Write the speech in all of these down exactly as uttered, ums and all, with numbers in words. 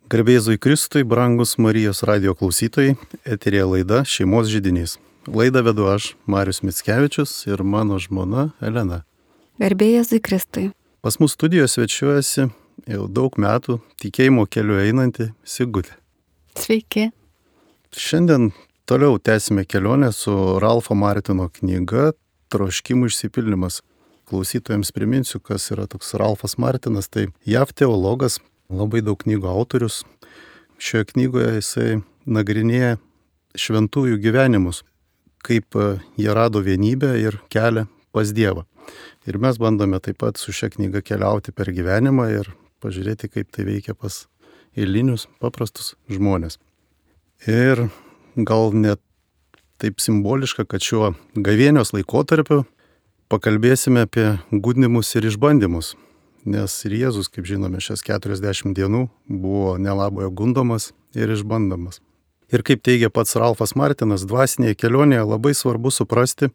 Garbė Jėzui Kristui, brangus Marijos radijo klausytojai, eterėje laida Šeimos židinys. Laidą vedu aš, Marius Mickevičius ir mano žmona Elena. Garbė Jėzui Kristui. Pas mus studijoje svečiuojasi jau daug metų tikėjimo keliu einanti Sigutė. Sveiki. Šiandien toliau tęsime kelionę su Ralfo Martino knyga Troškimų išsipildymas. Klausytojams priminsiu, kas yra toks Ralfas Martinas, tai J A V teologas, labai daug knygų autorius. Šioje knygoje jisai nagrinėja šventųjų gyvenimus, kaip jie rado vienybę ir kelią pas Dievą. Ir mes bandome taip pat su šia knyga keliauti per gyvenimą ir pažiūrėti, kaip tai veikia pas eilinius, paprastus žmonės. Ir gal net taip simboliška, kad šiuo gavėnios laikotarpiu pakalbėsime apie gundymus ir išbandymus. Nes ir Jėzus, kaip žinome, šias keturiasdešimt dienų buvo nelaboje gundomas ir išbandomas. Ir kaip teigia pats Ralfas Martinas, dvasinėje kelionėje labai svarbu suprasti,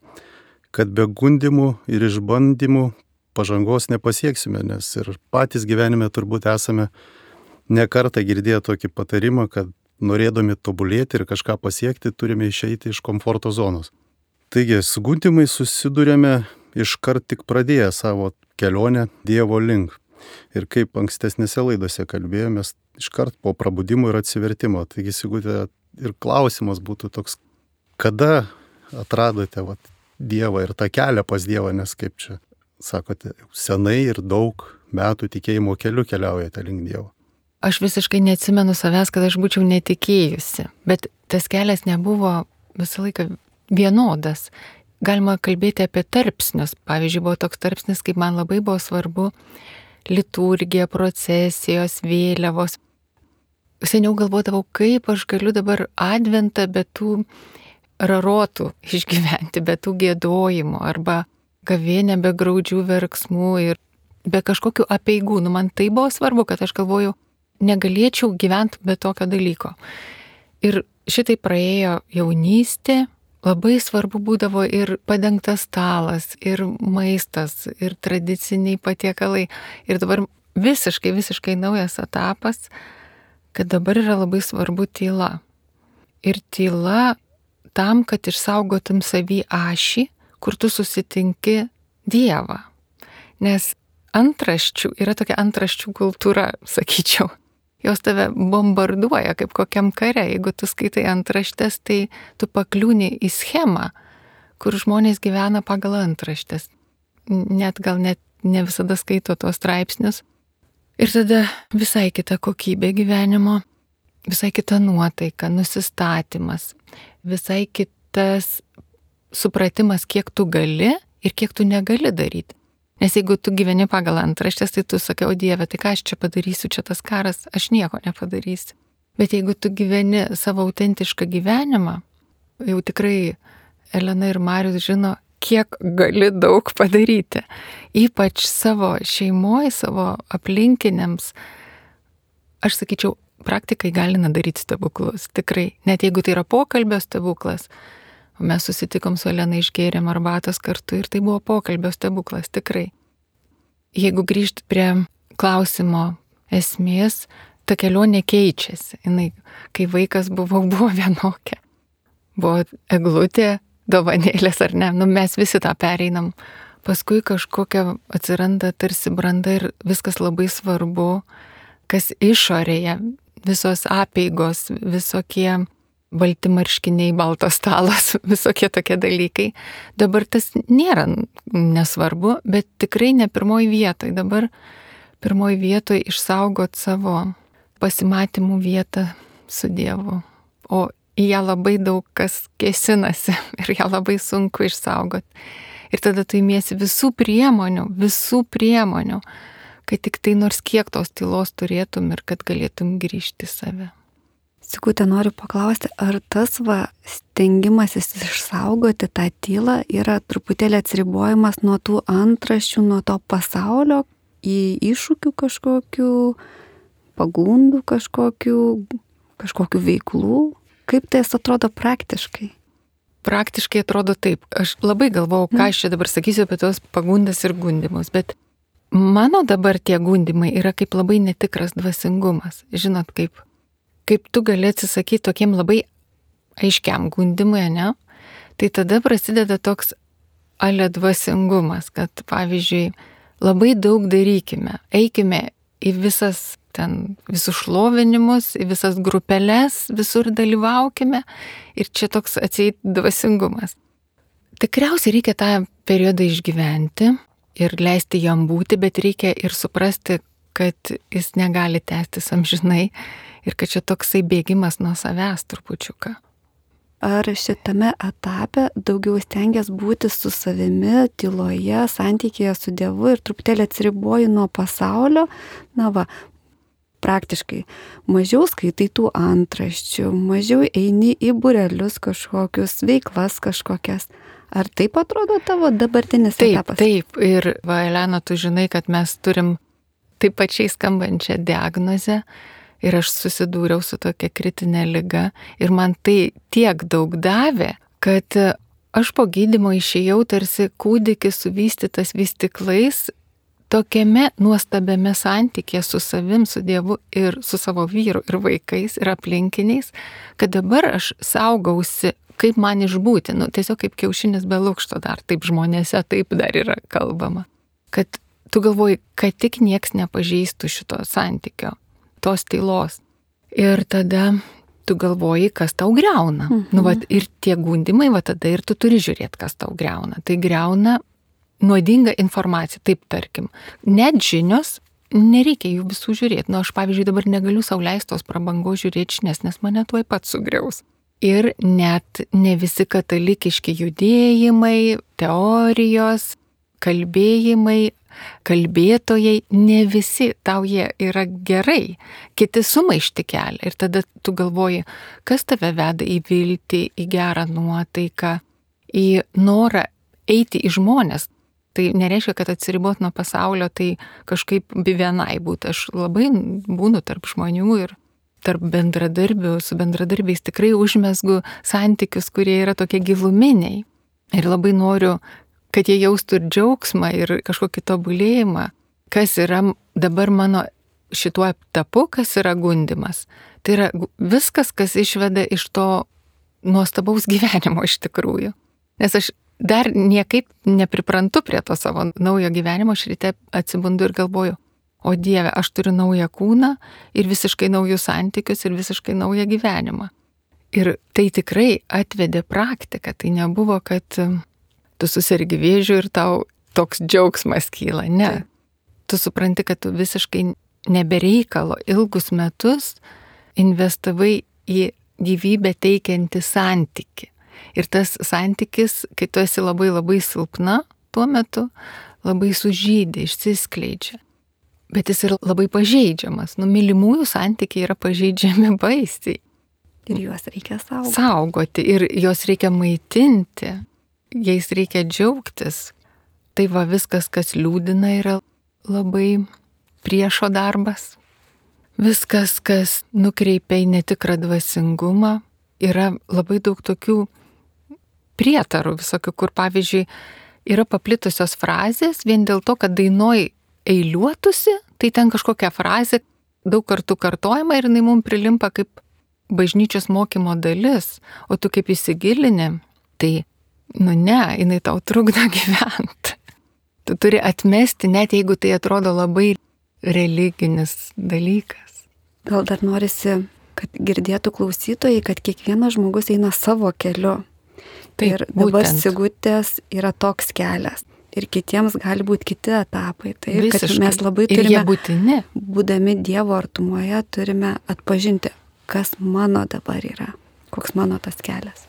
kad be gundymų ir išbandymų pažangos nepasieksime, nes ir patys gyvenime turbūt esame ne kartą girdėję tokį patarimą, kad norėdami tobulėti ir kažką pasiekti, turime išeiti iš komforto zonos. Taigi, su gundymais susidurėme iškart tik pradėję savo kelionę Dievo link. Ir kaip ankstesnėse laidose kalbėjomės, iškart po prabudimo ir atsivertimo. Taigi, Sigutė, ir klausimas būtų toks, kada atradote vat, Dievą ir tą kelią pas Dievą, nes kaip čia sakote, senai ir daug metų tikėjimo keliu keliaujate link Dievo. Aš visiškai neatsimenu savęs, kad aš būčiau netikėjusi, bet tas kelias nebuvo visą laiką vienodas. Galima kalbėti apie tarpsnius. Pavyzdžiui, buvo toks tarpsnis, kaip man labai buvo svarbu liturgija, procesijos, vėliavos. Seniau galvodavau, kaip aš galiu dabar adventą be tų rarotų išgyventi, be tų giedojimų arba gavėnę be graudžių verksmų ir be kažkokių apeigų. Nu, man tai buvo svarbu, kad aš galvoju, negalėčiau gyventi be tokio dalyko. Ir šitai praėjo jaunystė. Labai svarbu būdavo ir padengtas stalas, ir maistas, ir tradiciniai patiekalai. Ir dabar visiškai, visiškai naujas etapas, kad dabar yra labai svarbu tyla. Ir tyla tam, kad išsaugotum savį ašį, kur tu susitinki Dievą. Nes antraščių, yra tokia antraščių kultūra, sakyčiau. Jos tave bombarduoja kaip kokiam kare. Jeigu tu skaitai antraštės, tai tu pakliūni į schemą, kur žmonės gyvena pagal antraštės. Net gal net ne visada skaito tos straipsnius. Ir tada visai kita kokybė gyvenimo, visai kita nuotaika, nusistatymas, visai kitas supratimas, kiek tu gali ir kiek tu negali daryti. Nes jeigu tu gyveni pagal antraštės, tai tu sakai, o Dieve, tai ką aš čia padarysiu, čia tas karas, aš nieko nepadarysiu. Bet jeigu tu gyveni savo autentišką gyvenimą, jau tikrai Elena ir Marius žino, kiek gali daug padaryti. Ypač savo šeimoje, savo aplinkiniams. Aš sakyčiau, praktikai gali daryti stebuklus, tikrai. Net jeigu tai yra pokalbio stebuklas. Mes susitikom su Elena, išgėrėm arbatos kartu ir tai buvo pokalbio stebuklas, tikrai. Jeigu grįžti prie klausimo esmės, ta kelionė keičiasi. Jinai, kai vaikas buvo, buvo vienokia. Buvo eglutė, dovanėlės ar ne, nu mes visi tą pereinam. Paskui kažkokia atsiranda tarsi branda ir viskas labai svarbu, kas išorėje, visos apeigos, visokie balti marškiniai, baltos stalas, visokie tokie dalykai. Dabar tas nėra nesvarbu, bet tikrai ne pirmoj vietoj. Dabar pirmoj vietoj išsaugot savo pasimatymų vietą su Dievu. O į ją labai daug kas kėsinasi ir ją labai sunku išsaugot. Ir tada tu imiesi visų priemonių, visų priemonių, kad tik tai nors kiek tos tylos turėtum ir kad galėtum grįžti į save. Sigutė, noriu paklausti, ar tas va stengimasis išsaugoti tą tylą yra truputėlį atsiribojimas nuo tų antraščių, nuo to pasaulio į iššūkių kažkokių, pagundų kažkokių, kažkokių veiklų? Kaip tai atrodo praktiškai? Praktiškai atrodo taip. Aš labai galvojau, ką aš čia dabar sakysiu apie tos pagundas ir gundimus, bet mano dabar tie gundimai yra kaip labai netikras dvasingumas. Žinot, kaip, kaip tu gali atsisakyti tokiem labai aiškiam gundimui, ne? Tai tada prasideda toks ale dvasingumas, kad pavyzdžiui, labai daug darykime, eikime į visas ten, visus šlovinimus, į visas grupeles, visur dalyvaukime ir čia toks atseit dvasingumas. Tikriausiai reikia tą periodą išgyventi ir leisti jam būti, bet reikia ir suprasti, kad jis negali tęstis amžinai ir kad čia toksai bėgimas nuo savęs trupučiuką. Ar šitame etape daugiau stengiasi būti su savimi, tyloje, santykėje su Dievu ir truputėlį atsiriboji nuo pasaulio? Na va, praktiškai mažiau skaitai tų antraščių, mažiau eini į būrelius kažkokius, veiklas kažkokias. Ar taip atrodo tavo dabartinis taip, etapas? Taip, ir va, Elena, tu žinai, kad mes turim taip pačiai skambančią diagnozę ir aš susidūriau su tokia kritinė liga ir man tai tiek daug davė, kad aš po gydymo išėjau tarsi kūdikis suvystytas vystyklais tokiame nuostabiame santykėje su savim, su Dievu ir su savo vyru ir vaikais ir aplinkiniais, kad dabar aš saugausi, kaip man išbūti, nu, tiesiog kaip kiaušinis be lukšto dar, taip žmonėse taip dar yra kalbama. Kad tu galvoji, kad tik nieks nepažeistų šito santykio, tos tylos. Ir tada tu galvoji, kas tau greuna. Mhm. Nu, va, ir tie gundimai, va tada ir tu turi žiūrėti, kas tau greuna. Tai greuna nuodinga informacija, taip tarkim. Net žinios, nereikia jų visų žiūrėti. Nu, aš pavyzdžiui dabar negaliu sau leisti tos prabangos žiūrėti žinias, nes mane tuoj pat sugriaus. Ir net ne visi katalikiški judėjimai, teorijos, kalbėjimai, kalbėtojai, ne visi tau jie yra gerai, kiti sumaišti kelia. Ir tada tu galvoji, kas tave veda į viltį, į gerą nuotaiką, į norą eiti į žmonės. Tai nereiškia, kad atsiribot nuo pasaulio, tai kažkaip vienai būti. Aš labai būnu tarp žmonių ir tarp bendradarbių, su bendradarbiais tikrai užmesgu santykius, kurie yra tokie giluminiai. Ir labai noriu, kad jie jaustų ir džiaugsmą, ir kažkokį tobulėjimą. Kas yra dabar mano šituo etapu, kas yra gundimas. Tai yra viskas, kas išveda iš to nuostabaus gyvenimo iš tikrųjų. Nes aš dar niekaip nepriprantu prie to savo naujo gyvenimo, aš ryte atsibundu ir galvoju, o Dieve, aš turiu naują kūną ir visiškai naujus santykius ir visiškai naują gyvenimą. Ir tai tikrai atvedė praktiką, tai nebuvo, kad tu susirgi vėžiu ir tau toks džiaugsmas kyla, ne. Tu supranti, kad tu visiškai nebereikalo ilgus metus investavai į gyvybę teikiantį santykį. Ir tas santykis, kai tu esi labai labai silpna, tuo metu labai sužydė, išsiskleidžia. Bet jis yra labai pažeidžiamas. Nu, mylimųjų santykiai yra pažeidžiami baisiai. Ir juos reikia saugoti. Saugoti ir juos reikia maitinti, jais reikia džiaugtis. Tai va viskas, kas liūdina, yra labai priešo darbas. Viskas, kas nukreipia į netikrą dvasingumą, yra labai daug tokių prietarų visokių, kur pavyzdžiui yra paplitusios frazės vien dėl to, kad dainoj eiliuotusi, tai ten kažkokia frazė daug kartų kartojama ir jinai mums prilimpa kaip bažnyčios mokymo dalis, o tu kaip įsigilini, tai, nu ne, jinai tau trukdo gyventi. Tu turi atmesti, net jeigu tai atrodo labai religinis dalykas. Gal dar norisi, kad girdėtų klausytojai, kad kiekvienas žmogus eina savo keliu. Taip, ir dabar būtent. Sigutės yra toks kelias. Ir kitiems gali būti kiti etapai. Tai Visiškai. Kad mes labai ir turime, jie būtini. būdami Dievo artumoje, turime atpažinti, kas mano dabar yra, koks mano tas kelias.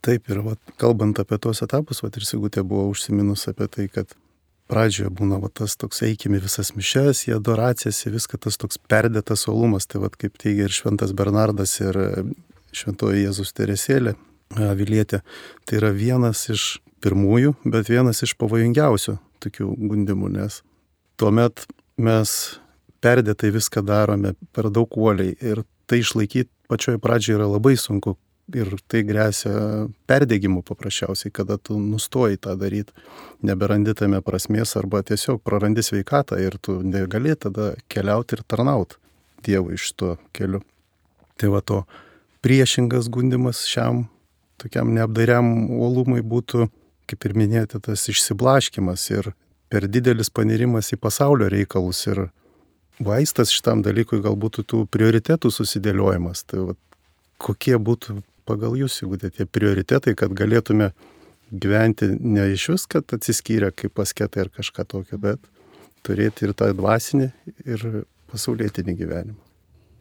Taip, ir vat, kalbant apie tuos etapus, vat, ir Sigutė buvo užsiminus apie tai, kad pradžioje būna vat, tas toks eikime visas mišes, į adoracijas, į viską tas toks perdėtas uolumas, tai vat, kaip teigia ir Šventas Bernardas ir Šventoji Jėzus Teresėlė Avilietė, tai yra vienas iš pirmųjų, bet vienas iš pavojingiausių tokių gundimų, nes tuomet mes perdėtai viską darome per daug uoliai ir tai išlaikyti pačioj pradžioje yra labai sunku, ir tai grėsia perdegimu paprasčiausiai, kada tu nustoji tą daryti, neberandi tame prasmės arba tiesiog prarandi sveikatą ir tu negali tada keliauti ir tarnauti Dievui iš to keliu. Tai va to priešingas gundimas šiam tokiam neapdairiam uolumui būtų, kaip ir minėjote, tas išsiblaškimas ir per didelis panirimas į pasaulio reikalus ir vaistas šitam dalykui galbūt tų prioritetų susidėliojimas. Tai va, kokie būtų pagal jūs, jeigu tie prioritetai, kad galėtume gyventi ne iš vis, kad atsiskyrę kaip asketai ar kažką tokio, bet turėti ir tą dvasinį ir pasaulietinį gyvenimą.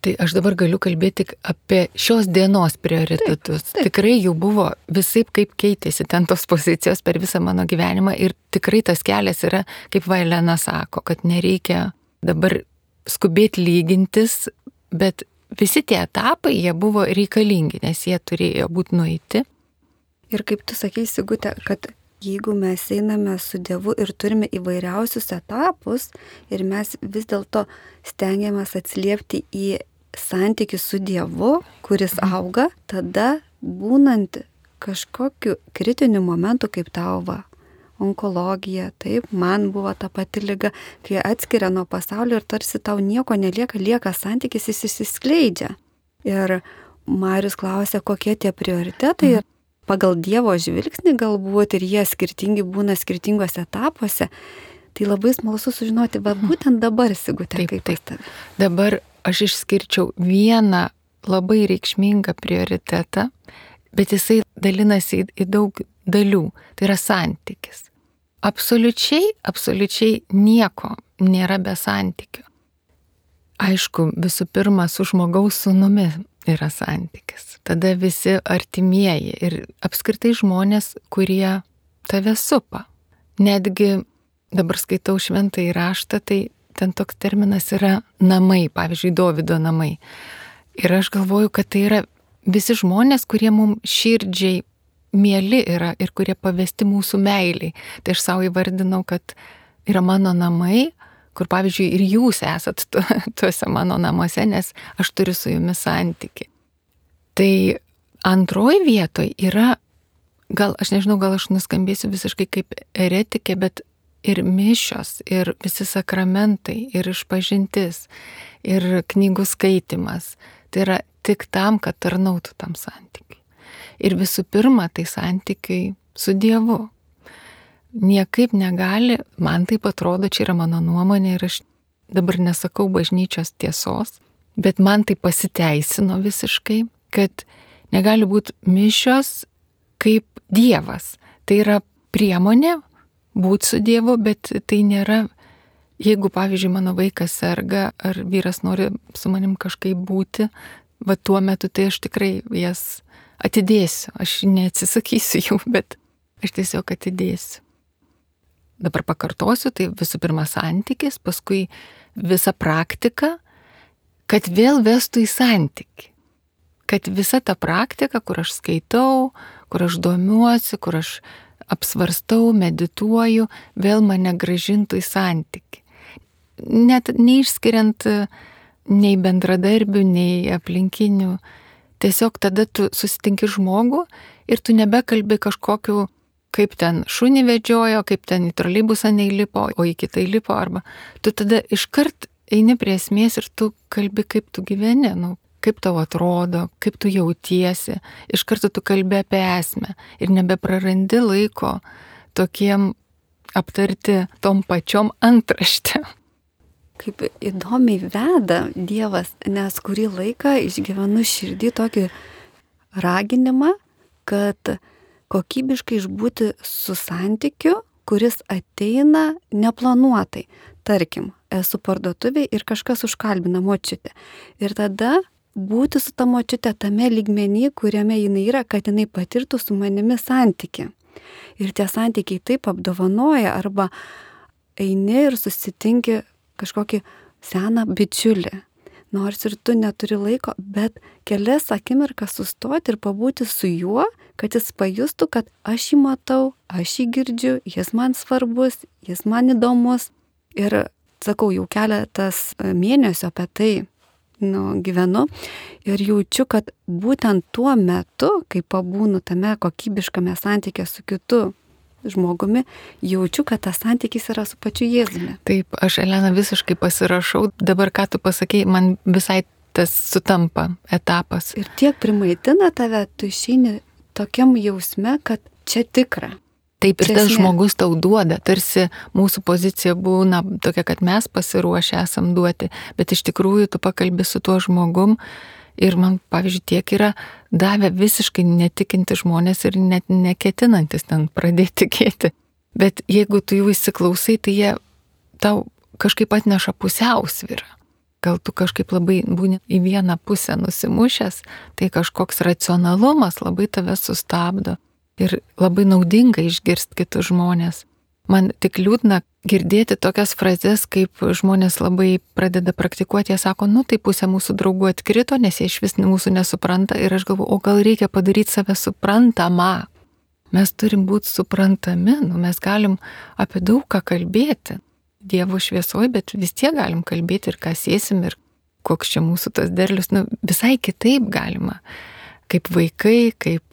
Tai aš dabar galiu kalbėti tik apie šios dienos prioritetus. Taip, taip. Tikrai jų buvo visaip kaip keitėsi ten tos pozicijos per visą mano gyvenimą ir tikrai tas kelias yra, kaip Vailena sako, kad nereikia dabar skubėti lygintis, bet visi tie etapai, jie buvo reikalingi, nes jie turėjo būti nueiti. Ir kaip tu sakei, Sigute, kad jeigu mes einame su Dievu ir turime įvairiausius etapus ir mes vis dėlto stengiamės atsiliepti į santykį su Dievu, kuris auga, tada būnant kažkokiu kritiniu momentu kaip tau va, onkologija, taip, man buvo ta pati liga, kai atskiria nuo pasaulio ir tarsi tau nieko nelieka, lieka santykis, jis išsiskleidžia. Ir Marius klausė, kokie tie prioritetai ir pagal Dievo žvilgsnį galbūt ir jie skirtingi būna skirtingose etapuose. Tai labai smalsu sužinoti, bet būtent dabar, Sigute, taip, kaip taip. taip. Dabar aš išskirčiau vieną labai reikšmingą prioritetą, bet jisai dalinasi į, į daug dalių. Tai yra santykis. Absoliučiai, absoliučiai nieko nėra be santykio. Aišku, visų pirma, su žmogaus sūnumi yra santykis. Tada visi artimieji ir apskritai žmonės, kurie tave supa. Netgi dabar skaitau šventąjį raštą, tai ten toks terminas yra namai, pavyzdžiui, Dovydo namai. Ir aš galvoju, kad tai yra visi žmonės, kurie mums širdžiai mieli yra ir kurie pavesti mūsų meiliai. Tai aš savo įvardinau, kad yra mano namai, kur pavyzdžiui ir jūs esat tu, tuose mano namuose, nes aš turiu su jumis santykį. Tai antroji vietoje yra, gal aš nežinau, gal aš nuskambėsiu visiškai kaip eretikė, bet ir mišios, ir visi sakramentai, ir išpažintis, ir knygų skaitimas. Tai yra tik tam, kad tarnautų tam santykiui. Ir visų pirma, tai santykiai su Dievu. Niekaip negali, man taip atrodo, čia yra mano nuomonė ir aš dabar nesakau bažnyčios tiesos, bet man tai pasiteisino visiškai, kad negali būti mišios kaip Dievas. Tai yra priemonė būti su Dievu, bet tai nėra, jeigu, pavyzdžiui, mano vaikas serga ar vyras nori su manim kažkaip būti, va tuo metu tai aš tikrai jas atidėsiu. Aš neatsisakysiu jų, bet aš tiesiog atidėsiu. Dabar pakartosiu, tai visų pirma santykis, paskui visa praktika, kad vėl vestų į santykį. Kad visa ta praktika, kur aš skaitau, kur aš domiuosi, kur aš apsvarstau, medituoju, vėl mane grąžintų į santykį. Net neišskiriant nei bendradarbių, nei aplinkinių. Tiesiog tada tu susitinki žmogų ir tu nebekalbi kažkokiu, kaip ten šunį vedžiojo, kaip ten į troleibusą neįlipo, o į kitą įlipo, arba tu tada iškart eini prie esmės ir tu kalbi, kaip tu gyveni, nu, kaip tau atrodo, kaip tu jautiesi. Iš karto tu kalbi apie esmę ir nebeprarandi laiko tokiem aptarti tom pačiom antraštėm. Kaip įdomiai veda Dievas, nes kurį laiką išgyvenu širdį tokį raginimą, kad kokybiškai išbūti su santykiu, kuris ateina neplanuotai. Tarkim, esu parduotuvėje ir kažkas užkalbina močiutę. Ir tada būti su ta močiutė tame lygmenį, kuriame jinai yra, kad jinai patirtų su manimi santykį. Ir tie santykiai taip apdovanoja, arba eini ir susitinki kažkokį seną bičiulį. Nors ir tu neturi laiko, bet kelias akimirkas sustoti ir pabūti su juo, kad jis pajustų, kad aš jį matau, aš jį girdžiu, jis man svarbus, jis man įdomus. Ir sakau, jau keletas mėnesių apie tai nu, gyvenu ir jaučiu, kad būtent tuo metu, kai pabūnu tame kokybiškame santykė su kitu žmogumi, jaučiu, kad tas santykis yra su pačiu Jėzumi. Taip, aš, Elena, visiškai pasirašau. Dabar, ką tu pasakei, man visai tas sutampa etapas. Ir tiek primaitina tave, tu išeini tokiam jausme, kad čia tikra. Taip, ir tas žmogus tau duoda, tarsi mūsų pozicija būna tokia, kad mes pasiruošę esam duoti, bet iš tikrųjų tu pakalbi su tuo žmogum ir man, pavyzdžiui, tiek yra davę visiškai netikinti žmonės ir net neketinantis ten pradėti tikėti. Bet jeigu tu jų įsiklausai, tai jie tau kažkaip atneša pusiausvyrą. Gal tu kažkaip labai būni į vieną pusę nusimušęs, tai kažkoks racionalumas labai tave sustabdo. Ir labai naudinga išgirsti kitus žmonės. Man tik liūdna girdėti tokias frazes, kaip žmonės labai pradeda praktikuoti, jie sako, nu tai pusė mūsų draugų atkrito, nes jie iš vis mūsų nesupranta ir aš galvoju, o gal reikia padaryti save suprantamą. Mes turim būti suprantami, nu, mes galim apie daug ką kalbėti. Dievo šviesoj, bet vis tiek galim kalbėti ir ką sėsim ir koks čia mūsų tas derlius, nu, visai kitaip galima. Kaip vaikai, kaip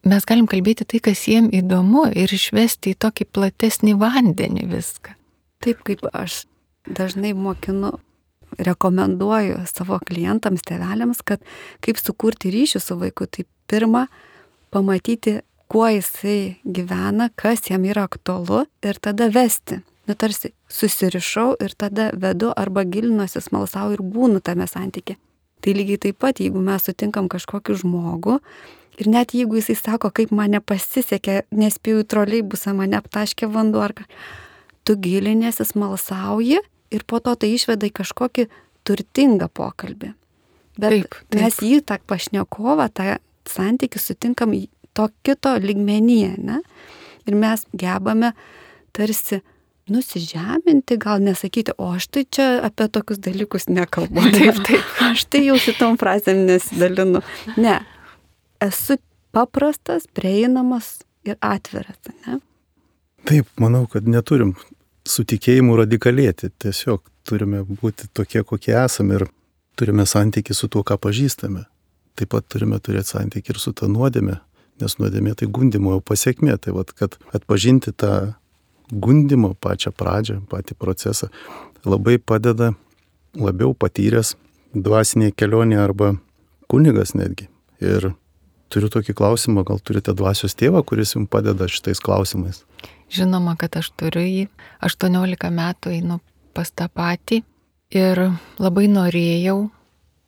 mes galim kalbėti tai, kas jiem įdomu ir išvesti į tokį platesnį vandenį viską. Taip, kaip aš dažnai mokinu, rekomenduoju savo klientams, tėveliams, kad kaip sukurti ryšį su vaiku, tai pirma, pamatyti, kuo jisai gyvena, kas jam yra aktualu ir tada vesti. Nu, tarsi susirišau ir tada vedu arba gilinuosi, smalsau ir būnu tame santyke. Tai lygiai taip pat, jeigu mes sutinkam kažkokį žmogų, ir net jeigu jisai sako, kaip mane pasisekė, nespėjau į troleibusą, mane aptaškė vanduo, ar ką, tu gilinėsi, smalsauji ir po to tai išveda į kažkokį turtingą pokalbį. Bet taip, taip. Mes jį, tą pašnekovą, tą santykį sutinkam to kito lygmenyje, ne? Ir mes gebame tarsi nusižeminti, gal nesakyti, o aš tai čia apie tokius dalykus nekalbu. Taip, taip. Aš tai jau šitom frazėm nesidalinu. Ne. Esu paprastas, prieinamas ir atviras, ne? Taip, manau, kad neturim su tikėjimu radikalėti. Tiesiog turime būti tokie, kokie esame ir turime santykį su tuo, ką pažįstame. Taip pat turime turėti santykį ir su ta nuodėme, nes nuodėmė tai gundimo pasiekmė. Tai vat, kad atpažinti tą gundimo pačią pradžią, patį procesą, labai padeda labiau patyręs dvasinėje kelionėje arba kunigas netgi. Ir turiu tokį klausimą, gal turite dvasios tėvą, kuris jums padeda šitais klausimais? Žinoma, kad aš turiu jį. aštuoniolika metų einu pas tą patį ir labai norėjau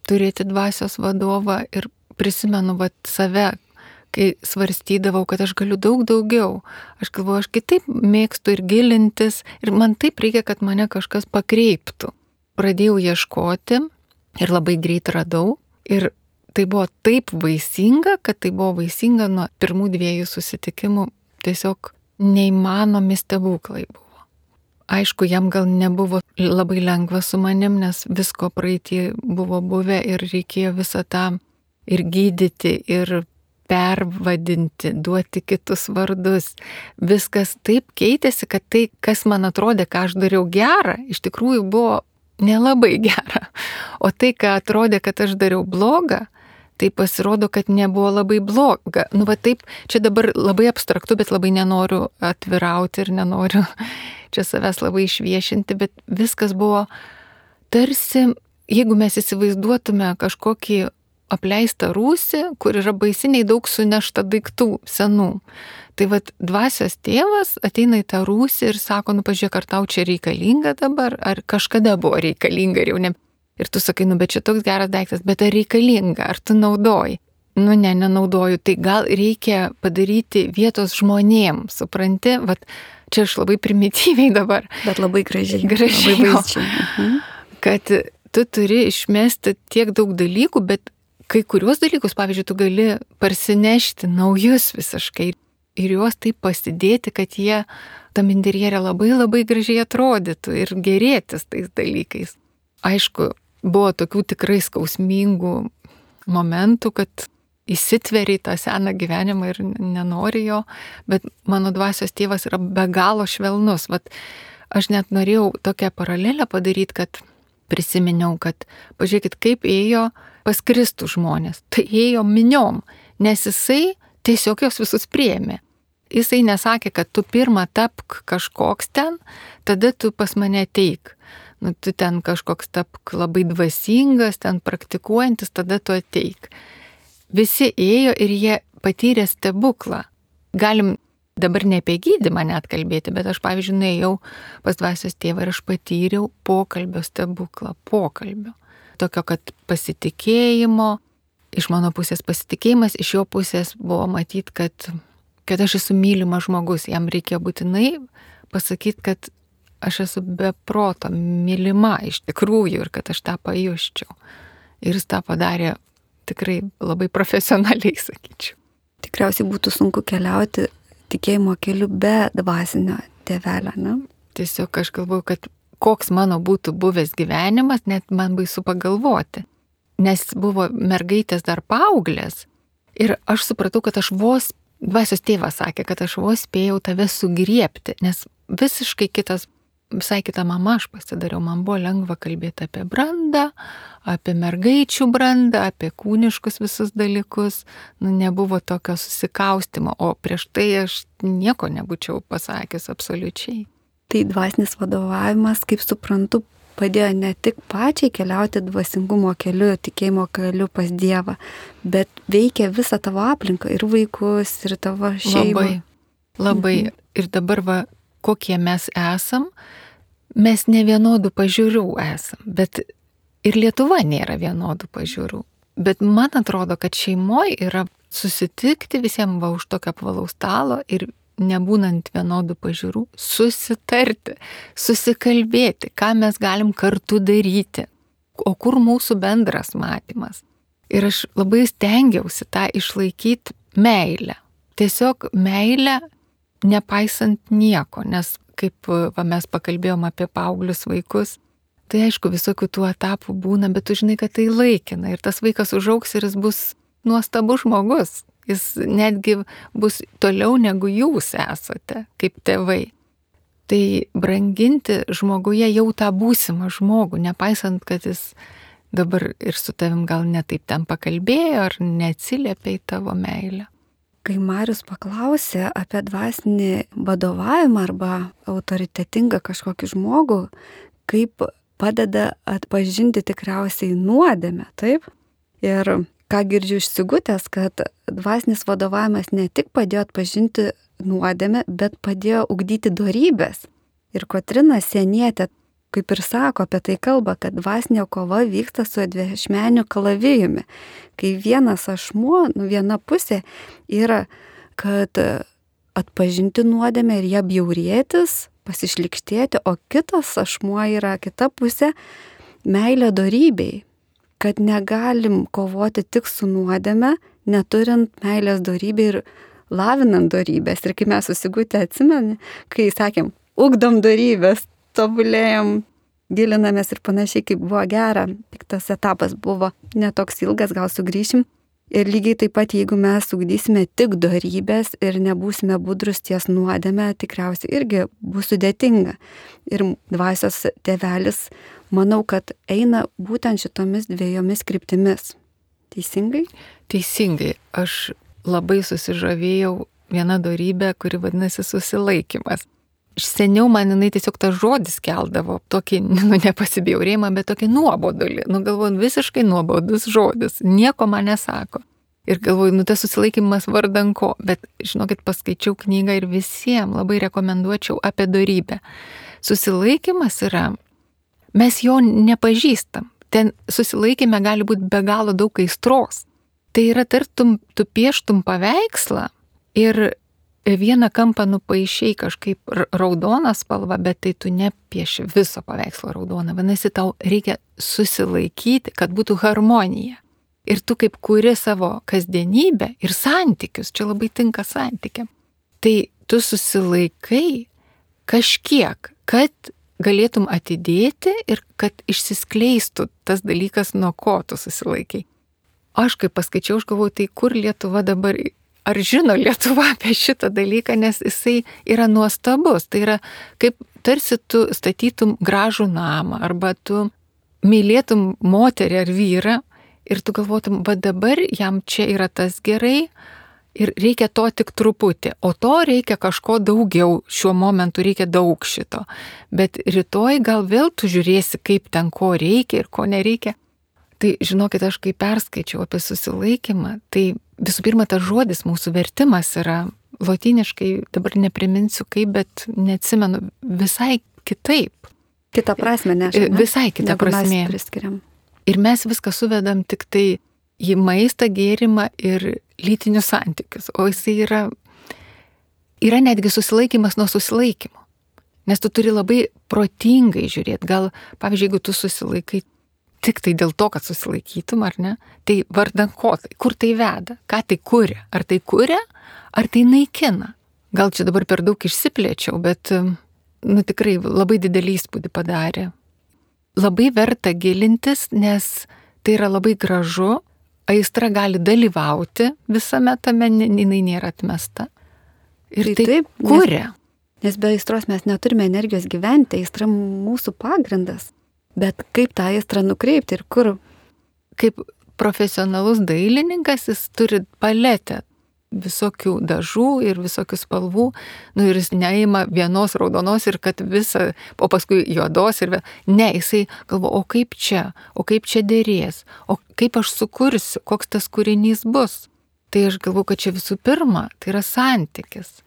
turėti dvasios vadovą ir prisimenu vat save, kai svarstydavau, kad aš galiu daug daugiau. Aš galvoju, aš kitaip mėgstu ir gilintis ir man taip reikia, kad mane kažkas pakreiptų. Pradėjau ieškoti ir labai greit radau ir tai buvo taip vaisinga, kad tai buvo vaisinga nuo pirmų dviejų susitikimų. Tiesiog neįmanomi stebuklai buvo. Aišku, jam gal nebuvo labai lengva su manim, nes visko praeitį buvo buvę ir reikėjo visą tą ir gydyti, ir pervadinti, duoti kitus vardus. Viskas taip keitėsi, kad tai, kas man atrodė, ką aš dariau gerą, iš tikrųjų buvo nelabai gera. O tai, ką atrodė, kad aš dariau blogą, tai pasirodo, kad nebuvo labai bloga. Nu, va taip, čia dabar labai abstraktu, bet labai nenoriu atvirauti ir nenoriu čia savęs labai išviešinti, bet viskas buvo tarsi, jeigu mes įsivaizduotume kažkokį apleistą rūsį, kur yra baisiniai daug sunešta daiktų senų. Tai vat dvasios tėvas ateina į tą rūsį ir sako, nu pažiūrėk, ar tau čia reikalinga dabar, ar kažkada buvo reikalinga ir jau ne. Ir tu sakai, nu bet čia toks geras daiktas, bet ar reikalinga, ar tu naudoji? Nu ne, nenaudoju, tai gal reikia padaryti vietos žmonėm, supranti, vat čia aš labai primityviai dabar. Bet labai gražiai. Gražiai. Labai vaizdžiai. Mhm. Kad tu turi išmesti tiek daug dalykų, bet kai kuriuos dalykus, pavyzdžiui, tu gali parsinešti naujus visiškai ir juos taip pasidėti, kad jie tam interjere labai labai gražiai atrodytų ir gerėtis tais dalykais. Aišku, buvo tokių tikrai skausmingų momentų, kad įsitveri į tą seną gyvenimą ir nenori jo, bet mano dvasios tėvas yra be galo švelnus. Vat aš net norėjau tokią paralelę padaryti, kad prisiminiau, kad pažiūrėkit, kaip ėjo pas Kristų žmonės. Tai ėjo miniom, nes jisai tiesiog jos visus priėmė. Jisai nesakė, kad tu pirmą tapk kažkoks ten, tada tu pas mane ateik. Nu, tu ten kažkoks tapk labai dvasingas, ten praktikuojantis, tada tu ateik. Visi ėjo ir jie patyrė stebuklą. Galim dabar ne apie gydymą net kalbėti, bet aš, pavyzdžiui, nuėjau pas dvasios tėvą ir aš patyriau pokalbio stebuklą, pokalbio. Tokio, kad pasitikėjimo, iš mano pusės pasitikėjimas, iš jo pusės buvo matyti, kad, kad aš esu mylimas žmogus. Jam reikėjo būtinai pasakyti, kad aš esu be proto mylima iš tikrųjų ir kad aš tą pajusčiau. Ir jis tą padarė tikrai labai profesionaliai, sakyčiau. Tikriausiai būtų sunku keliauti tikėjimo keliu be dvasinio tėvelio, ne? Tiesiog aš galvoju, kad koks mano būtų buvęs gyvenimas, net man baisu pagalvoti. Nes buvo mergaitės dar paauglės ir aš supratau, kad aš vos, dvasios tėvas sakė, kad aš vos spėjau tave sugriepti, nes visiškai kitas, visai kita mama aš pasidariau, man buvo lengva kalbėti apie brandą, apie mergaičių brandą, apie kūniškus visus dalykus, nu, nebuvo tokio susikaustimo, o prieš tai aš nieko nebūčiau pasakęs absoliučiai. Tai dvasinis vadovavimas, kaip suprantu, padėjo ne tik pačiai keliauti dvasingumo keliu, tikėjimo keliu pas Dievą, bet veikia visą tavo aplinką, ir vaikus, ir tavo šeimą. Labai, labai. Mhm. Ir dabar va, kokie mes esam, mes ne vienodų pažiūrų esam, bet ir Lietuva nėra vienodų pažiūrų. Bet man atrodo, kad šeimoje yra susitikti visiems va už tokio apvalaus stalo ir nebūnant vienodų pažiūrų, susitarti, susikalbėti, ką mes galim kartu daryti, o kur mūsų bendras matymas. Ir aš labai stengiausi tą išlaikyti meilę. Tiesiog meilę nepaisant nieko, nes kaip va, mes pakalbėjom apie paauglius vaikus, tai aišku, visokių tų etapų būna, bet tu žinai, kad tai laikina ir tas vaikas užaugs ir jis bus nuostabus žmogus. Jis netgi bus toliau negu jūs esate, kaip tėvai. Tai branginti žmoguje jau tą būsimą žmogų, nepaisant, kad jis dabar ir su tavim gal netaip ten pakalbėjo ar neatsiliepė į tavo meilę. Kai Marius paklausė apie dvasinį vadovavimą arba autoritetingą kažkokį žmogų, kaip padeda atpažinti tikriausiai nuodėmę, taip? Ir ką girdžiu iš Sigutės, kad dvasinis vadovavimas ne tik padėjo atpažinti nuodėmę, bet padėjo ugdyti dorybės. Ir Kotryna Sienietė, kaip ir sako, apie tai kalba, kad dvasinė kova vyksta su dviašmeniu kalavijumi. Kai vienas ašmuo, nu viena pusė yra, kad atpažinti nuodėmę ir ją bjaurėtis, pasišlikštėti, o kitas ašmuo yra kita pusė meilė dorybei. Kad negalim kovoti tik su nuodėme, neturint meilės dorybę ir lavinant dorybės. Ir kai mes susigutę atsimeni, kai sakėm, ugdom dorybės, tobulėjom, gilinamės ir panašiai, kaip buvo gera. Tik tas etapas buvo netoks ilgas, gal sugrįšim. Ir lygiai taip pat, jeigu mes ugdysime tik dorybės ir nebūsime budrus ties nuodėme, tikriausiai irgi bus sudėtinga. Ir dvasios tėvelis, manau, kad eina būtent šitomis dviejomis kryptimis. Teisingai? Teisingai. Aš labai susižavėjau vieną dorybę, kuri vadinasi susilaikymas. Seniau man jinai tiesiog tas žodis keldavo, tokį, nu, nepasibjaurėjimą, bet tokį nuobodulį. Nu, galvoju, visiškai nuobodus žodis, nieko man nesako. Ir galvoju, nu, tas susilaikymas vardan ko, bet, žinokit, paskaičiau knygą ir visiems labai rekomenduočiau apie dorybę. Susilaikymas yra, mes jo nepažįstam. Ten susilaikymė gali būti be galo daug aistros. Tai yra tartum, tu pieštum paveikslą ir vieną kampą nupaišiai kažkaip raudoną spalvą, bet tai tu nepieši viso paveikslo raudoną. Vadinasi, tau reikia susilaikyti, kad būtų harmonija. Ir tu kaip kuri savo kasdienybę ir santykius, čia labai tinka santykiam. Tai tu susilaikai kažkiek, kad galėtum atidėti ir kad išsiskleistų tas dalykas, nuo ko tu susilaikai. Aš kaip paskaičiau, aš galvoju, tai kur Lietuva dabar... Ar žino Lietuva apie šitą dalyką, nes jisai yra nuostabus. Tai yra kaip tarsi tu statytum gražų namą, arba tu mylėtum moterį ar vyrą ir tu galvotum, va dabar jam čia yra tas gerai ir reikia to tik truputį, o to reikia kažko daugiau, šiuo momentu reikia daug šito. Bet rytoj gal vėl tu žiūrėsi, kaip ten ko reikia ir ko nereikia. Tai žinokit, aš kai perskaičiau apie susilaikymą, tai visų pirma, tas žodis mūsų vertimas yra lotyniškai, dabar nepriminsiu kaip, bet neatsimenu, visai kitaip. Kita prasme, nežinau. Ne? Visai kita prasme. Ir mes viską suvedam tik tai į maistą, gėrimą ir lytinius santykius. O jisai yra, yra netgi susilaikymas nuo susilaikymo. Nes tu turi labai protingai žiūrėti. Gal, pavyzdžiui, jeigu tu susilaikai tik tai dėl to, kad susilaikytum, ar ne, tai vardan ko tai, kur tai veda, ką tai kuria. Ar tai kuria, ar tai naikina. Gal čia dabar per daug išsiplėčiau, bet nu, tikrai labai didelį įspūdį padarė. Labai verta gilintis, nes tai yra labai gražu, aistra gali dalyvauti visame tame, jinai nėra atmesta. Ir tai, tai taip kuria. Nes, nes be aistros mes neturime energijos gyventi, aistra mūsų pagrindas. Bet kaip tą aistrą nukreipti ir kur? Kaip profesionalus dailininkas, jis turi paletę visokių dažų ir visokių spalvų, nu ir jis neima vienos raudonos ir kad visą, o paskui juodos ir vėl. Ne, jisai galvo, o kaip čia, o kaip čia dėrės, o kaip aš sukursiu, koks tas kūrinys bus. Tai aš galvoju, kad čia visų pirma, tai yra santykis.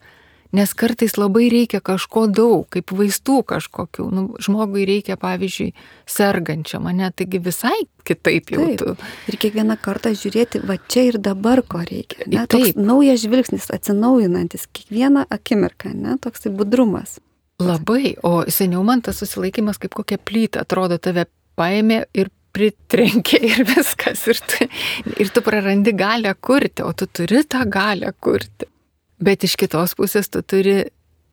Nes kartais labai reikia kažko daug, kaip vaistų kažkokių. Nu, žmogui reikia, pavyzdžiui, sergančiam, ne, taigi visai kitaip jau tu. Ir kiekvieną kartą žiūrėti, va čia ir dabar ko reikia. Ne? Toks naujas žvilgsnis, atsinaujinantis kiekvieną akimirką, ne? Toksai budrumas. Labai, o seniau man tas susilaikymas kaip kokia plyta, atrodo, tave paėmė ir pritrenkė ir viskas. Ir tu, ir tu prarandi galią kurti, o tu turi tą galią kurti. Bet iš kitos pusės tu turi,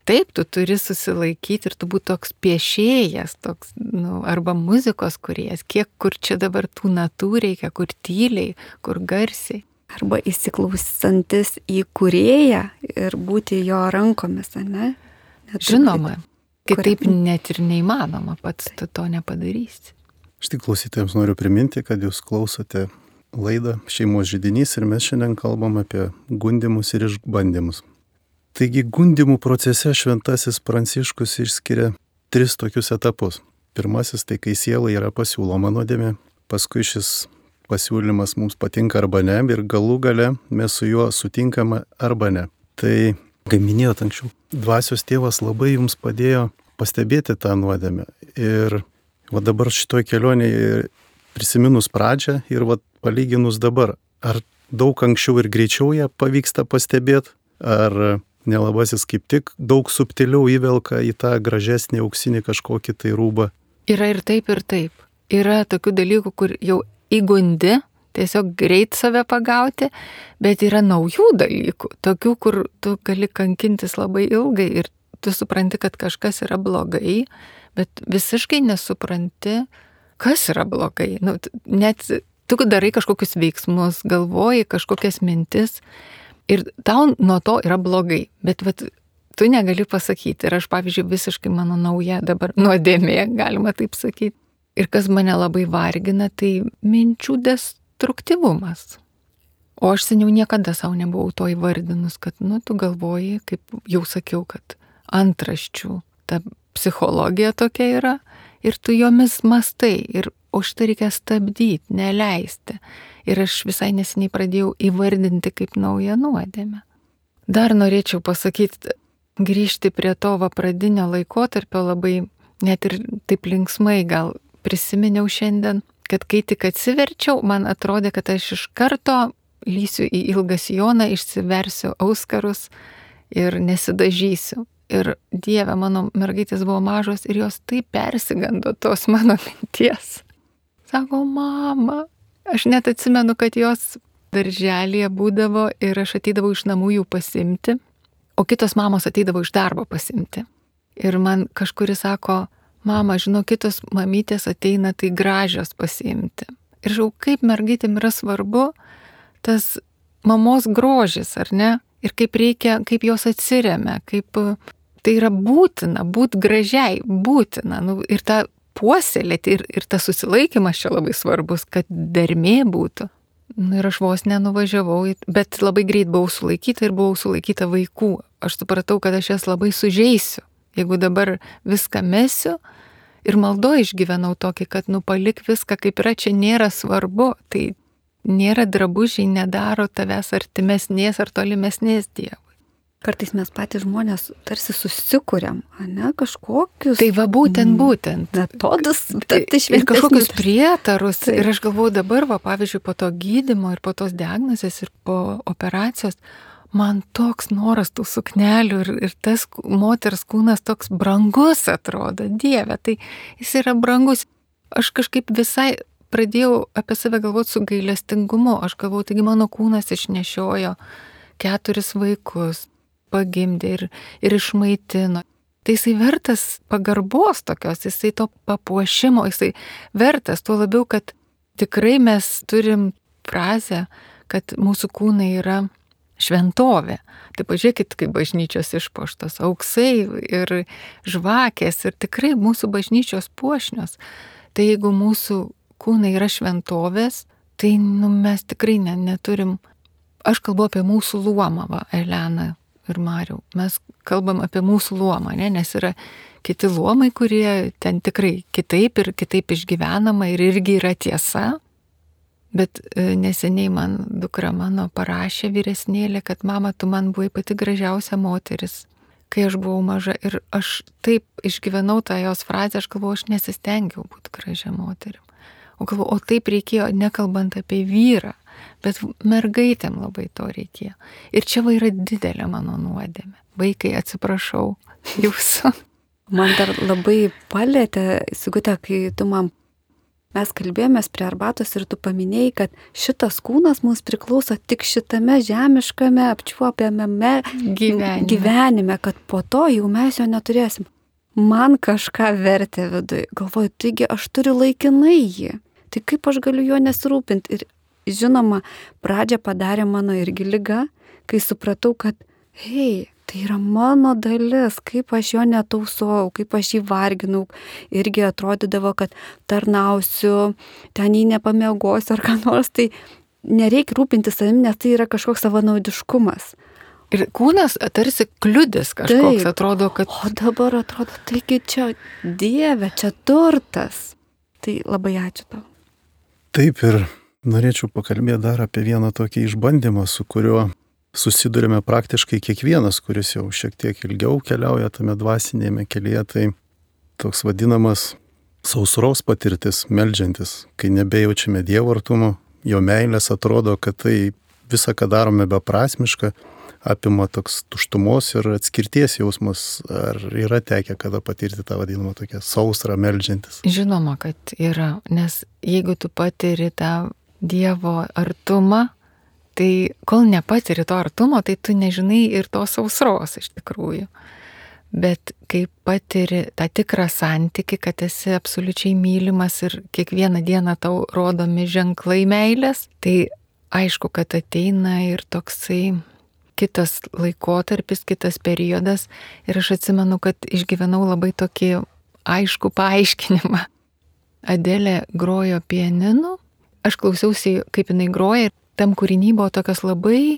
taip, tu turi susilaikyti ir tu būti toks piešėjas, toks, nu, arba muzikos kūrėjas, kiek kur čia dabar tų natų reikia, kur tyliai, kur garsiai. Arba įsiklausantis į kūrėją ir būti jo rankomis, ne? Net žinoma, kitaip net ir neįmanoma, pats tu to nepadarysi. Aš tik klausytojams noriu priminti, kad jūs klausote laidą Šeimos židinys ir mes šiandien kalbam apie gundymus ir išbandymus. Taigi gundymų procese šventasis Pranciškus išskiria tris tokius etapus. Pirmasis tai kai sielai yra pasiūloma nuodėmė, paskui šis pasiūlymas mums patinka arba ne ir galų gale mes su juo sutinkame arba ne. Tai, kaip minėjot anksčiau, dvasios tėvas labai jums padėjo pastebėti tą nuodėmę. Ir va dabar šitoj kelionėje prisiminus pradžią ir va palyginus dabar, ar daug anksčiau ir greičiau ją pavyksta pastebėti, ar nelabasis kaip tik daug subtiliau įvelka į tą gražesnį auksinį kažkokį tai rūbą? Yra ir taip, ir taip. Yra tokių dalykų, kur jau įgundi, tiesiog greit save pagauti, bet yra naujų dalykų, tokių, kur tu gali kankintis labai ilgai ir tu supranti, kad kažkas yra blogai, bet visiškai nesupranti, kas yra blogai. Nu, net tu darai kažkokius veiksmus, galvoji kažkokias mintis ir tau nuo to yra blogai, bet vat, tu negali pasakyti. Ir aš, pavyzdžiui, visiškai mano nauja dabar nuodėmė, galima taip sakyti. Ir kas mane labai vargina, tai minčių destruktyvumas. O aš seniau niekada savo nebuvau to įvardinus, kad, nu, tu galvoji, kaip jau sakiau, kad antraščių ta psichologija tokia yra ir tu jomis mastai ir o šitą reikia stabdyti, neleisti. Ir aš visai neseniai pradėjau įvardinti kaip naują nuodėmę. Dar norėčiau pasakyti, grįžti prie to va pradinio laikotarpio labai, net ir taip linksmai gal prisiminiau šiandien, kad kai tik atsiverčiau, man atrodė, kad aš iš karto lysiu į ilgą sijoną, išsiversiu auskarus ir nesidažysiu. Ir Dieve, mano mergaitės buvo mažos ir jos taip persigando tos mano minties. Sako, mama, aš net atsimenu, kad jos darželėje būdavo ir aš ateidavau iš namų jų pasimti, o kitos mamos ateidavo iš darbo pasimti. Ir man kažkuris sako, mama, žinau, kitos mamytės ateina tai gražios pasimti. Ir žinau, kaip mergaitėm yra svarbu tas mamos grožis, ar ne? Ir kaip reikia, kaip jos atsiremia, kaip tai yra būtina, būt gražiai, būtina. Nu, ir ta puoselėti ir, ir tas susilaikymas čia labai svarbus, kad dermė būtų. Nu, ir aš vos nenuvažiavau, bet labai greit buvau sulaikyta ir buvau sulaikyta vaikų. Aš supratau, kad aš jas labai sužeisiu. Jeigu dabar viską mesiu ir maldo išgyvenau tokį, kad nu palik viską, kaip yra, čia nėra svarbu. Tai nėra drabužiai, nedaro tavęs artimesnės ar tolimesnės Dievui. Kartais mes patys žmonės tarsi susikuriam, ne, kažkokius. Tai va būtent, būtent. Metodus, tai ir kažkokius prietarus. Taip. Ir aš galvoju dabar, va, pavyzdžiui, po to gydymo ir po tos diagnozės ir po operacijos, man toks noras tų suknelių ir, ir tas moters kūnas toks brangus atrodo, Dieve, tai jis yra brangus. Aš kažkaip visai pradėjau apie save galvoti su gailestingumu. Aš galvoju, taigi mano kūnas išnešiojo keturis vaikus, pagimdė ir, ir išmaitino. Tai jisai vertas pagarbos tokios, jisai to papuošimo, jisai vertas, tuo labiau, kad tikrai mes turim frazę, kad mūsų kūnai yra šventovė. Tai pažiūrėkit, kaip bažnyčios išpuoštos, auksai ir žvakės ir tikrai mūsų bažnyčios puošnios. Tai jeigu mūsų kūnai yra šventovės, tai nu, mes tikrai ne, neturim. Aš kalbu apie mūsų luomą, va, Elena ir Mariau. Mes kalbam apie mūsų luomą, ne? Nes yra kiti luomai, kurie ten tikrai kitaip ir kitaip išgyvenama ir irgi yra tiesa. Bet neseniai man dukra mano parašė vyresnėlė, kad mama, tu man buvai pati gražiausia moteris, kai aš buvau maža. Ir aš taip išgyvenau tą jos frazę, aš galvoju, aš nesistengiau būti gražia moterim. O galvoju, o taip reikėjo, nekalbant apie vyrą, bet mergaitėm labai to reikėjo. Ir čia va yra didelė mano nuodėmė. Vaikai, atsiprašau jūsų. Man dar labai palėtė, Sigute, kai tu man, mes kalbėjomės prie arbatos ir tu paminėjai, kad šitas kūnas mums priklauso tik šitame žemiškame apčiuopiamame gyvenime. gyvenime, kad po to jau mes jo neturėsim. Man kažką vertė viduje. Galvoju, taigi aš turiu laikinai jį. Tai kaip aš galiu jo nesirūpinti? Ir žinoma, pradžią padarė mano irgi liga, kai supratau, kad hei, tai yra mano dalis, kaip aš jo netausojau, kaip aš jį varginau. Irgi atrodydavo, kad tarnausiu, ten jį nepamiegosiu ar ką nors, tai nereikia rūpinti savim, nes tai yra kažkoks savanaudiškumas. Ir kūnas tarsi kliudis kažkoks. Taip. Atrodo, kad... O dabar atrodo, taigi čia Dieve, čia turtas. Tai labai ačiū tau. Taip, ir norėčiau pakalbėti dar apie vieną tokį išbandymą, su kuriuo susidurime praktiškai kiekvienas, kuris jau šiek tiek ilgiau keliauja tame dvasinėme kelyje. Tai toks vadinamas sausros patirtis, meldžiantis, kai nebejaučiame Dievo artumo, jo meilės, atrodo, kad tai visa, ką darome, beprasmiška, apima toks tuštumos ir atskirties jausmas. Ar yra tekę kada patirti tą vadinamą tokią sausrą meldžiantis? Žinoma, kad yra, nes jeigu tu patiri tą Dievo artumą, tai kol nepatiri to artumo, tai tu nežinai ir tos sausros iš tikrųjų. Bet kai patiri tą tikrą santykį, kad esi absoliučiai mylimas ir kiekvieną dieną tau rodomi ženklai meilės, tai aišku, kad ateina ir toksai kitas laikotarpis, kitas periodas. Ir aš atsimenu, kad išgyvenau labai tokį aišku paaiškinimą. Adelė grojo pianinu, aš klausiausi, kaip jinai groja, ir tam kūriny buvo tokios labai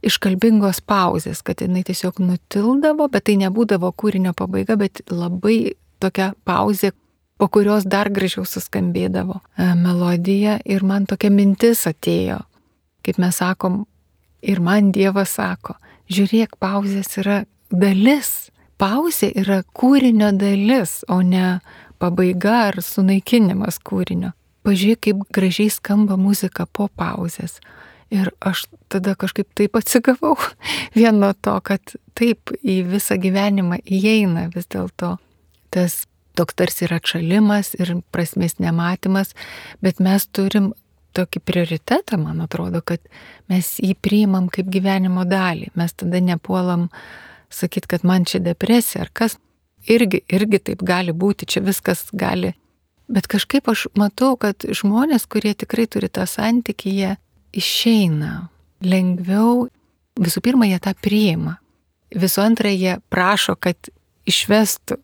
iškalbingos pauzės, kad jinai tiesiog nutildavo, bet tai nebūdavo kūrinio pabaiga, bet labai tokia pauzė, po kurios dar gražiau suskambėdavo melodija. Ir man tokia mintis atėjo, kaip mes sakom, ir man Dievas sako, žiūrėk, pauzės yra dalis. Pauzė yra kūrinio dalis, o ne pabaiga ar sunaikinimas kūrinio. Pažiūrėk, kaip gražiai skamba muzika po pauzės. Ir aš tada kažkaip taip atsigavau vien nuo to, kad taip į visą gyvenimą įeina vis dėlto tas toks tarsi yra atšalimas ir prasmės nematymas, bet mes turim tokį prioritetą, man atrodo, kad mes jį priimam kaip gyvenimo dalį. Mes tada nepuolam sakyti, kad man čia depresija ar kas. Irgi, irgi taip gali būti, čia viskas gali. Bet kažkaip aš matau, kad žmonės, kurie tikrai turi tą santykį, jie išeina lengviau. Visų pirma, jie tą priima. Visų antra, jie prašo, kad išvestų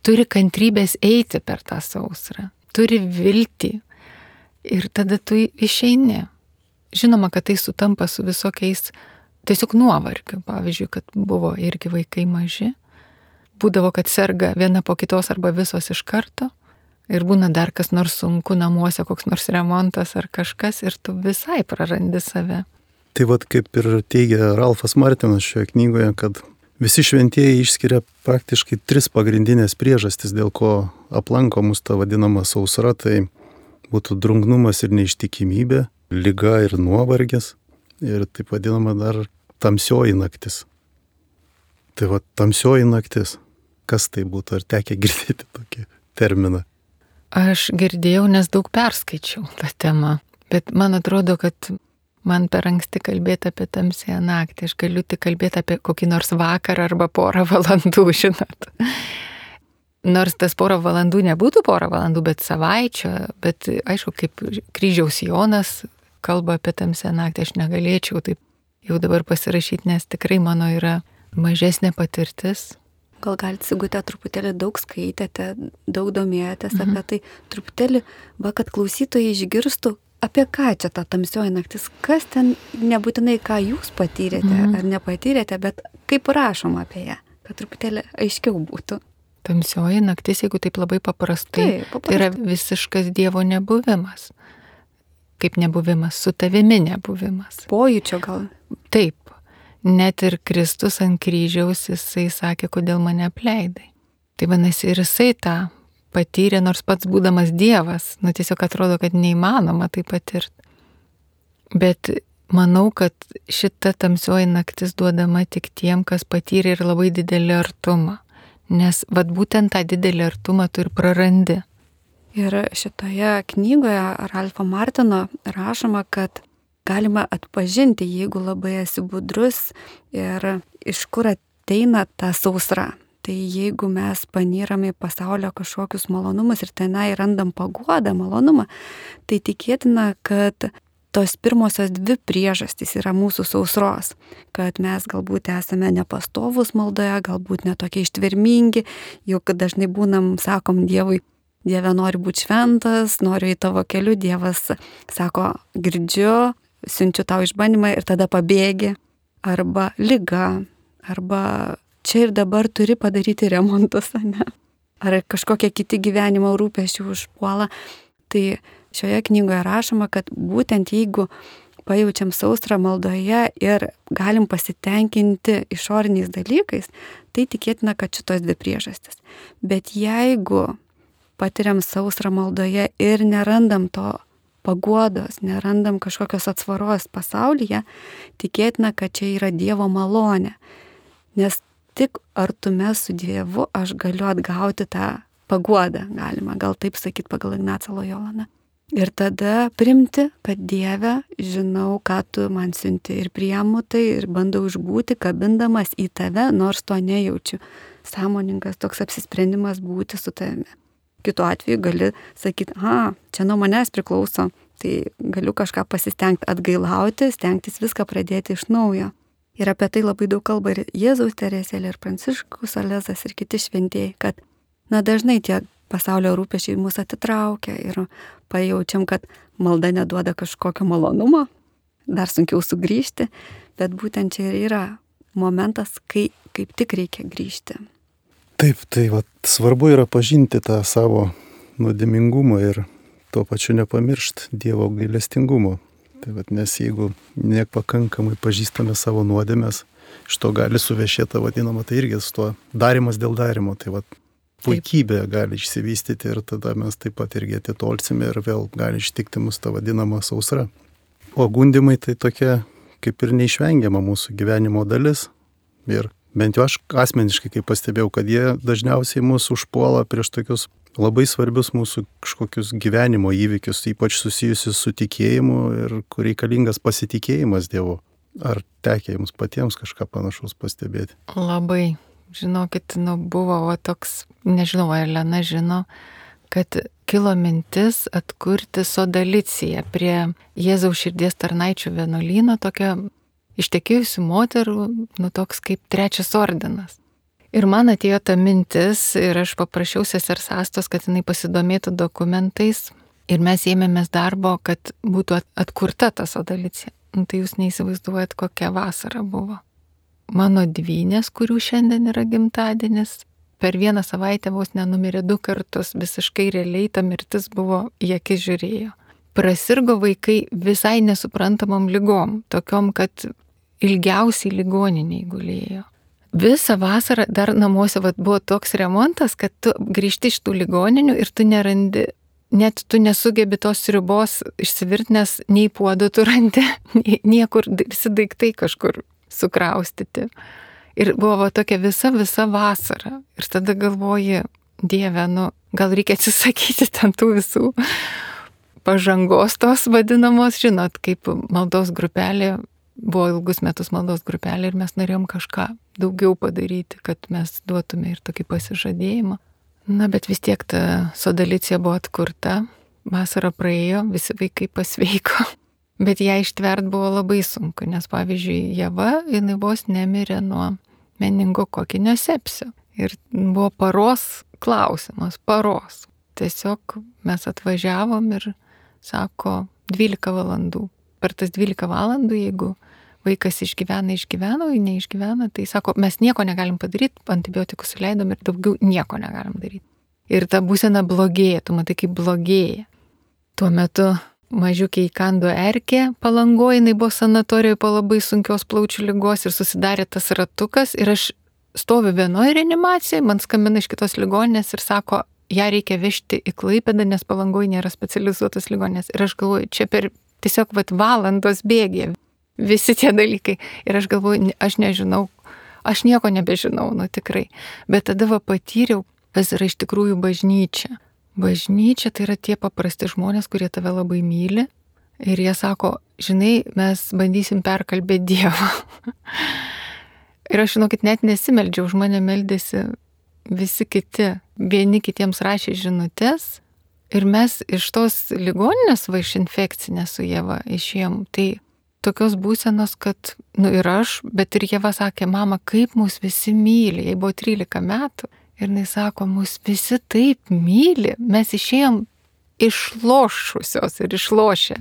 turi kantrybės eiti per tą sausrą, turi viltį ir tada tu išeini. Žinoma, kad tai sutampa su visokiais tiesiog nuovargiu. Pavyzdžiui, kad buvo irgi vaikai maži, būdavo, kad serga viena po kitos arba visos iš karto ir būna dar kas nors sunku namuose, koks nors remontas ar kažkas ir tu visai prarandi save. Tai vad kaip ir teigia Ralfas Martinas šioje knygoje, kad visi šventieji išskiria praktiškai tris pagrindinės priežastis, dėl ko aplanko mus ta vadinama sausra, tai būtų drungnumas ir neištikimybė, liga ir nuovargis ir taip vadinama dar tamsioji naktis. Tai va tamsioji naktis, kas tai būtų, ar tekę girdėti tokį terminą? Aš girdėjau, nes daug perskaičiau tą temą, bet man atrodo, kad man per anksti kalbėti apie tamsiąją naktį, aš galiu tik kalbėti apie kokį nors vakarą arba porą valandų, žinot. Nors tas porą valandų nebūtų porą valandų, bet savaičio, bet aišku, kaip kryžiaus Jonas kalba apie tamsiąją naktį, aš negalėčiau taip jau dabar pasirašyti, nes tikrai mano yra mažesnė patirtis. Gal galite, Sigute, truputėlį daug skaitėte, daug domėjotės mhm. apie tai, truputėlį, va, kad klausytojai išgirstų, apie ką čia ta tamsioji naktis, kas ten nebūtinai ką jūs patyrėte mhm. ar nepatyrėte, bet kaip rašoma apie ją, kad truputėlį aiškiau būtų. Tamsioji naktis, jeigu taip labai paprastai, taip, paprastai. Tai yra visiškas Dievo nebuvimas. Kaip nebuvimas, su tavimi nebuvimas. Pojūčio gal. Taip. Net ir Kristus ant kryžiaus, jisai sakė, kodėl mane apleidai. Tai vadinasi, ir jisai tą patyrė, nors pats būdamas Dievas. Nu, tiesiog atrodo, kad neįmanoma tai patirti. Bet manau, kad šita tamsioji naktis duodama tik tiem, kas patyrė ir labai didelį artumą. Nes vat būtent tą didelį artumą tu ir prarandi. Ir šitoje knygoje Ralfo Martino rašoma, kad galima atpažinti, jeigu labai esi budrus ir iš kur ateina ta sausra. Tai jeigu mes panyrame į pasaulio kažkokius malonumus ir tenai randam paguodą, malonumą, tai tikėtina, kad tos pirmosios dvi priežastys yra mūsų sausros, kad mes galbūt esame nepastovus maldoje, galbūt netokie ištvermingi, juk dažnai būnam, sakom Dievui, Dieve nori būti šventas, noriu į tavo keliu, Dievas sako, girdžiu, siunčiu tau išbandymą ir tada pabėgi, arba liga, arba čia ir dabar turi padaryti remontus, ne? Ar kažkokie kiti gyvenimo rūpesčiai užpuola. Tai šioje knygoje rašoma, kad būtent jeigu pajaučiam sausrą maldoje ir galim pasitenkinti išoriniais dalykais, tai tikėtina, kad šitos dvi priežastis. Bet jeigu patiriam sausrą maldoje ir nerandam to paguodos, nerandam kažkokios atsvaros pasaulyje, tikėtina, kad čia yra Dievo malonė. Nes tik artume su Dievu aš galiu atgauti tą paguodą, galima gal taip sakyti pagal Ignacą Lojolą. Ir tada primti, kad Dieve, žinau, ką tu man siunti ir priimu tai ir bandau išbūti, kabindamas į tave, nors to nejaučiu. Sąmoningas toks apsisprendimas būti su tavimi. Kitu atveju gali sakyti, a, čia nuo manęs priklauso, tai galiu kažką pasistengti atgailauti, stengtis viską pradėti iš naujo. Ir apie tai labai daug kalba ir Jėzaus Teresėlė, ir Pranciškus Salezas, ir kiti šventieji, kad, na, dažnai tie pasaulio rūpesčiai mus atitraukia ir pajaučiam, kad malda neduoda kažkokio malonumo, dar sunkiau sugrįžti, bet būtent čia ir yra momentas, kai kaip tik reikia grįžti. Taip, tai vat, svarbu yra pažinti tą savo nuodėmingumą ir tuo pačiu nepamiršti Dievo gailestingumo. Tai vat, nes jeigu nepakankamai pažįstame savo nuodėmes, iš to gali suvešėta vadinama, tai irgi su tuo darimas dėl darimo. Tai vat, puikybė gali išsivystyti ir tada mes taip pat irgi atitolsime ir vėl gali ištikti mus tą vadinamą sausrą. O gundimai tai tokia kaip ir neišvengiama mūsų gyvenimo dalis ir bent jau aš asmeniškai kaip pastebėjau, kad jie dažniausiai mūsų užpuola prieš tokius labai svarbius mūsų kažkokius gyvenimo įvykius, ypač susijusius su tikėjimu ir kur reikalingas pasitikėjimas Dievu. Ar tekia jums patiems kažką panašaus pastebėti? Labai. Žinokit, nu buvo va, toks, nežinau, ar Lena žino, kad kilo mintis atkurti Sodaliciją prie Jėzaus širdies tarnaičių vienuolyno, tokia ištekėjusių moterų, nu toks kaip trečias ordinas. Ir man atėjo ta mintis ir aš paprašiau sesers Astos, kad jinai pasidomėtų dokumentais ir mes ėmėmės darbo, kad būtų atkurta ta Sodalicija. Nu, tai jūs neįsivaizduojat, kokia vasara buvo. Mano dvynės, kurių šiandien yra gimtadienis, per vieną savaitę vos nenumirė du kartus, visiškai realiai ta mirtis buvo, į akis žiūrėjo. Prasirgo vaikai visai nesuprantamom ligom, tokiom, kad ilgiausiai ligoniniai gulėjo. Visą vasarą dar namuose vat, buvo toks remontas, kad tu grįžti iš tų ligoninių ir tu nerandi, net tu nesugebi tos sriubos išsivirt, nes nei puodo tu randi, niekur visi daiktai kažkur sukraustyti. Ir buvo tokia visa, visa vasara. Ir tada galvoji, Dieve, nu, gal reikia atsisakyti ten tų visų pažangos tos vadinamos, žinot, kaip maldos grupelė, buvo ilgus metus maldos grupelė ir mes norėjom kažką daugiau padaryti, kad mes duotume ir tokį pasižadėjimą. Na, bet vis tiek ta Sodalicija buvo atkurta, vasara praėjo, visi vaikai pasveiko. Bet ją ištvert buvo labai sunku, nes pavyzdžiui, Ieva, jinai vos nemirė nuo meningokokinio sepsio. Ir buvo paros klausimas, paros. Tiesiog mes atvažiavom ir sako dvylika valandų. Per tas dvylika valandų, jeigu vaikas išgyvena, išgyvena, o jei neišgyvena, tai sako, mes nieko negalim padaryti, antibiotikus suleidom ir daugiau nieko negalim daryti. Ir ta būsena blogėja, tu matai, kaip blogėja. Tuo metu mažiukiai įkando erkė Palangoje, jinai buvo sanatorijoje po labai sunkios plaučių ligos ir susidarė tas ratukas ir aš stoviu vienoje reanimacijoje, man skambina iš kitos ligoninės ir sako, ją reikia vežti į Klaipėdą, nes Palangoje nėra specializuotos ligoninės. Ir aš galvoju, čia per tiesiog vat, valandos bėgė visi tie dalykai. Ir aš galvoju, aš nežinau, aš nieko nebežinau, nu tikrai. Bet tada va patyriau, kas yra iš tikrųjų bažnyčia. Bažnyčia tai yra tie paprasti žmonės, kurie tave labai myli ir jie sako, žinai, mes bandysim perkalbėti Dievą. Ir aš, žinokit, net nesimeldžiau, už mane meldėsi visi kiti, vieni kitiems rašė žinutės ir mes iš tos ligoninės va iš infekcinės su Ieva išėjom. Tai tokios būsenos, kad, nu ir aš, bet ir Ieva sakė, mama, kaip mus visi myli, jai buvo trylika metų. Ir jis sako, mus visi taip myli, mes išėjom išlošusios ir išlošę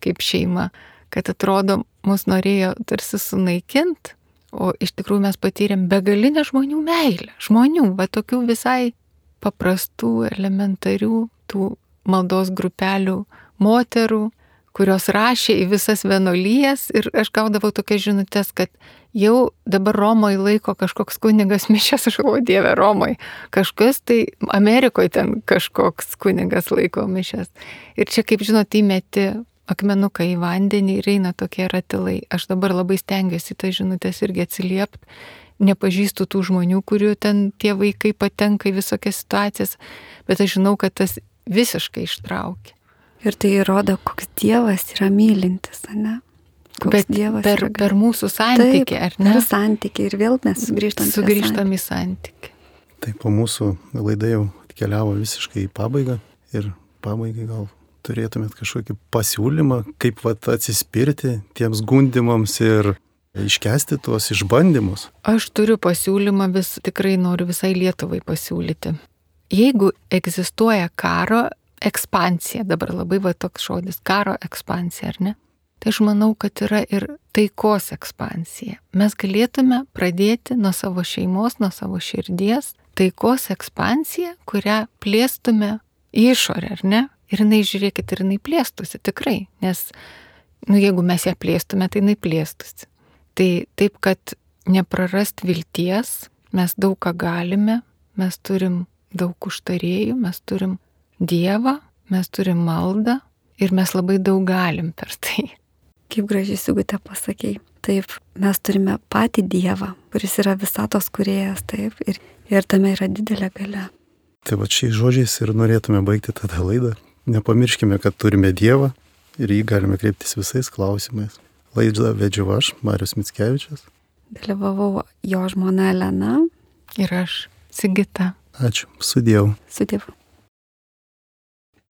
kaip šeima, kad atrodo, mus norėjo tarsi sunaikinti, o iš tikrųjų mes patyrėm begalinę žmonių meilę. Žmonių, va tokių visai paprastų, elementarių, tų maldos grupelių moterų, kurios rašė į visas vienuolijas ir aš gaudavau tokias žinutės, kad jau dabar Romoje laiko kažkoks kunigas mišias, aš galvoju, Dieve, Romoje, kažkas tai Amerikoje ten kažkoks kunigas laiko mišias. Ir čia, kaip žinot, įmeti akmenuką į vandenį ir eina tokie ratilai. Aš dabar labai stengiuosi tą žinutės irgi atsiliepti, nepažįstu tų žmonių, kurių ten tie vaikai patenka į visokias situacijas, bet aš žinau, kad tas visiškai ištraukia. Ir tai įrodo, koks Dievas yra mylintis, ne? Koks Bet Dievas per, yra per mūsų santykį, Taip, ar ne? Per santykį ir vėl mes sugrįžtam, sugrįžtam į santykį. Taip, po mūsų laida jau atkeliavo visiškai į pabaigą ir pabaigai gal turėtumėt kažkokį pasiūlymą, kaip vat atsispirti tiems gundimams ir iškesti tuos išbandymus. Aš turiu pasiūlymą, vis tikrai noriu visai Lietuvai pasiūlyti. Jeigu egzistuoja karo ekspansija, dabar labai va toks žodis, karo ekspansija, ar ne? Tai aš manau, kad yra ir taikos ekspansija. Mes galėtume pradėti nuo savo šeimos, nuo savo širdies, taikos ekspansiją, kurią plėstume į išorę, ar ne? Ir jinai, žiūrėkit, ir jinai plėstusi, tikrai, nes, nu, jeigu mes ją plėstume, tai jinai plėstusi. Tai taip, kad neprarast vilties, mes daug ką galime, mes turim daug užtarėjų, mes turim Dievą, mes turim maldą ir mes labai daug galim per tai. Kaip gražiai Sigutė pasakei. Taip, mes turime patį Dievą, kuris yra visatos kūrėjas, taip, ir, ir tame yra didelė galia. Tai va šiais žodžiais ir norėtume baigti tada laidą. Nepamirškime, kad turime Dievą ir jį galime kreiptis visais klausimais. Laidą vedžiau aš, Marius Mickevičius. Dalyvavau jo žmona Elena. Ir aš, Sigita. Ačiū. Sudiev. Sudiev.